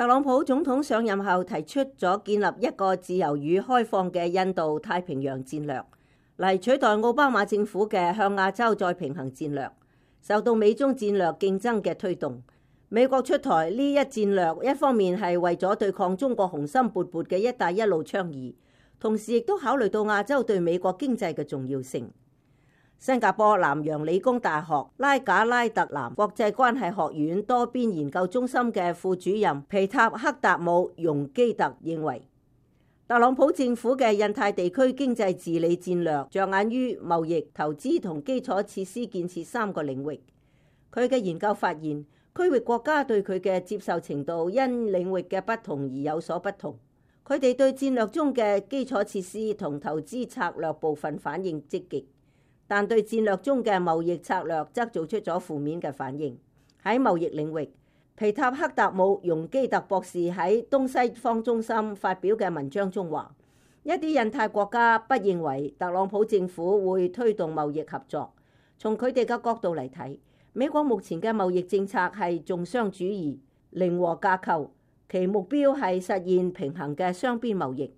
特朗普總統上任後提出咗建立一個自由與開放嘅印度太平洋戰略，嚟取代奧巴馬政府嘅向亞洲再平衡戰略。受到美中戰略競爭嘅推動，美國出台呢一戰略，一方面係為咗對抗中國雄心勃勃嘅一帶一路倡議，同時亦都考慮到亞洲對美國經濟嘅重要性。新加坡南洋理工大學拉賈拉特南國際關係學院多邊研究中心嘅副主任皮塔克達姆容基特認為，特朗普政府嘅印太地區經濟治理戰略着眼於貿易、投資同基礎設施建設三個領域。佢嘅研究發現，區域國家對佢嘅接受程度因領域嘅不同而有所不同。佢哋對戰略中嘅基礎設施同投資策略部分反應積極，但對戰略中嘅貿易策略則做出咗負面嘅反應。喺貿易領域，皮塔克達姆容基特博士喺東西方中心發表嘅文章中話，一啲印太國家不認為特朗普政府會推動貿易合作。從佢哋嘅角度嚟睇，美國目前嘅貿易政策係重商主義、零和架構，其目標係實現平衡嘅雙邊貿易。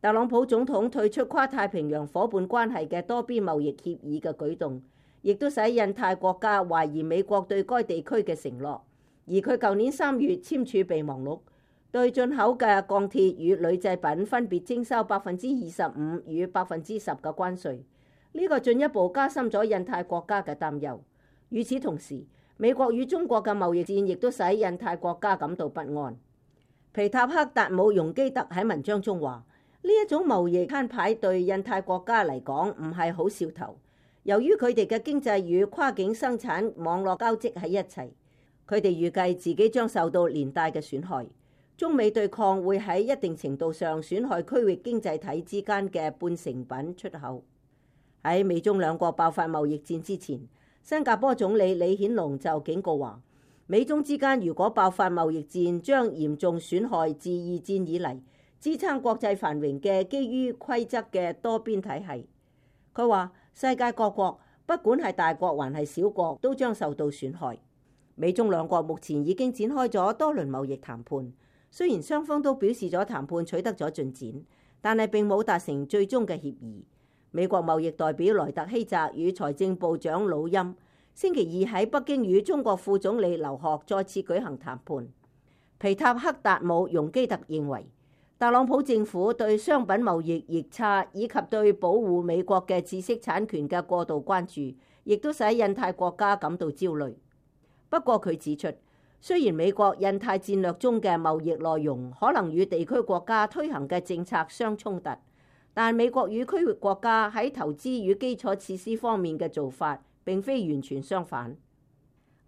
特朗普總統退出跨太平洋夥伴關係嘅多邊貿易協議嘅舉動，亦都使印太國家懷疑美國對該地區嘅承諾。而佢舊年3月簽署備忘錄，對進口嘅鋼鐵與鋁製品分別徵收25%與10%嘅關稅。呢個進一步加深咗印太國家嘅擔憂。與此同時，美國與中國嘅貿易戰亦都使印太國家感到不安。皮塔克達姆容基特喺文章中話，呢一種貿易攤牌對印太國家嚟講唔係好兆頭，由於佢哋嘅經濟與跨境生產網絡交織喺一齊，佢哋預計自己將受到連帶嘅損害。中美對抗會喺一定程度上損害區域經濟體之間嘅半成品出口。喺美中兩國爆發貿易戰之前，新加坡總理李顯龍就警告話，美中之間如果爆發貿易戰，將嚴重損害自二戰以嚟支撐國際繁榮嘅基於規則嘅多邊體系。佢話世界各國不管係大國還係小國都將受到損害。美中兩國目前已經展開咗多輪貿易談判，雖然雙方都表示咗談判取得咗進展，但係並冇達成最終嘅協議。美國貿易代表萊特希澤與財政部長魯欽星期二喺北京與中國副總理劉鶴再次舉行談判。皮塔克達姆容基特認為，特朗普政府對商品貿易逆差以及對保護美國嘅知識產權嘅過度關注，亦都使印太國家感到焦慮。不過佢指出，雖然美國印太戰略中嘅貿易內容可能與地區國家推行嘅政策相衝突，但美國與區域國家喺投資與基礎設施方面嘅做法並非完全相反。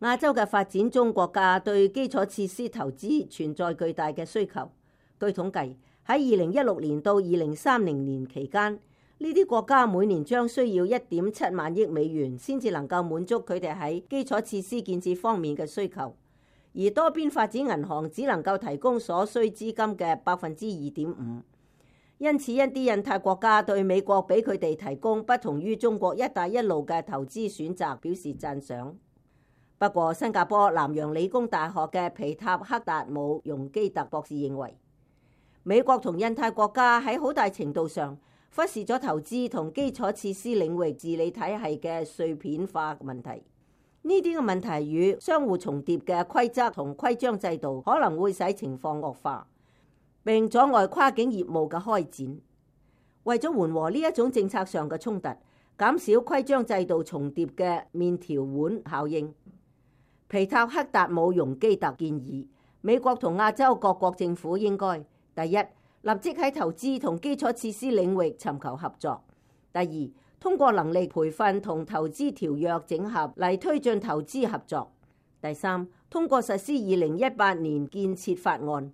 亞洲嘅發展中國家對基礎設施投資存在巨大嘅需求。據統計，喺2016年到2030年期間，呢啲國家每年將需要1.7萬億美元先至能夠滿足佢哋喺基礎設施建設方面嘅需求，而多邊發展銀行只能夠提供所需資金嘅2.5%。因此，一啲印太國家對美國俾佢哋提供不同於中國一帶一路嘅投資選擇表示讚賞。不過，新加坡南洋理工大學嘅皮塔克達姆容基特博士認為，美國同印太國家喺好大程度上忽視咗投資同基礎設施領域治理體系嘅碎片化問題。呢啲嘅問題與相互重疊嘅規則同規章制度可能會使情況惡化，並阻礙跨境業務嘅開展。為咗緩和呢一種政策上嘅衝突，減少規章制度重疊嘅麵條碗效應，皮塔克達姆容基特建議美國同亞洲各國政府應該第一，立即喺投資同基礎設施領域尋求合作；第二，通過能力培訓同投資條約整合嚟推進投資合作；第三，通過實施2018年建設法案，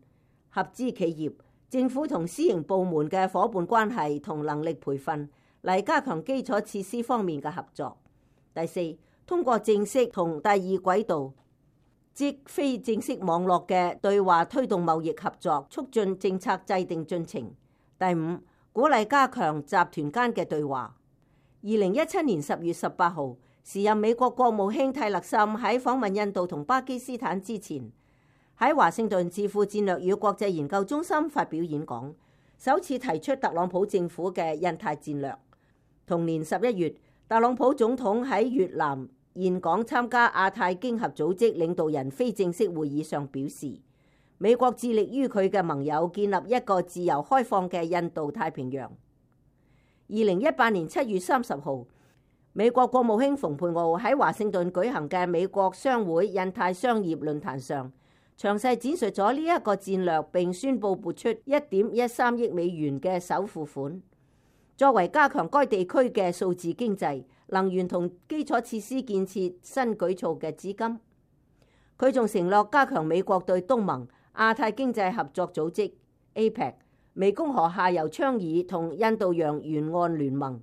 合資企業、政府同私營部門嘅夥伴關係同能力培訓嚟加強基礎設施方面嘅合作；第四，通過正式同第二軌道，即非正式網絡嘅對話推動貿易合作，促進政策制定進程。第五，鼓勵加強集團間嘅對話。2017年10月18號，時任美國國務卿泰勒森喺訪問印度同巴基斯坦之前，喺華盛頓智庫戰略與國際研究中心發表演講，首次提出特朗普政府嘅印太戰略。同年11月，特朗普總統喺越南峴港參加亞太經合組織領導人非正式會議上表示，美國致力於佢嘅盟友建立一個自由開放嘅印度太平洋。2018年7月30號，美國國務卿蓬佩奧喺華盛頓舉行嘅美國商會印太商業論壇上，詳細展述咗呢一個戰略，並宣布撥出1.13億美元嘅首付款，作為加強該地區嘅數字經濟、能源同基礎設施建設新舉措嘅資金。佢仲承諾加強美國對東盟、亞太經濟合作組織 APEC、湄公河下游倡議同印度洋沿岸聯盟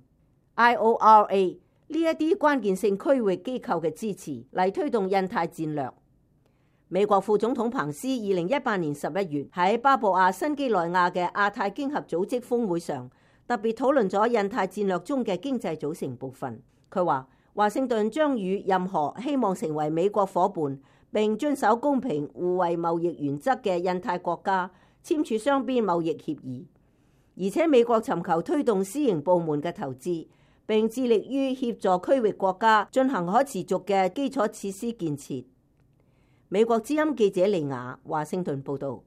IORA 呢一啲關鍵性區域機構嘅支持，嚟推動印太戰略。美國副總統彭斯2018年11月喺巴布亞新幾內亞嘅亞太經合組織峰會上，特別討論咗印太戰略中嘅經濟組成部分。佢話華盛頓將與任何希望成為美國夥伴並遵守公平互惠貿易原則嘅印太國家簽署雙邊貿易協議，而且美國尋求推動私營部門嘅投資，並致力於協助區域國家進行可持續嘅基礎設施建設。美國之音記者利亞華盛頓報道。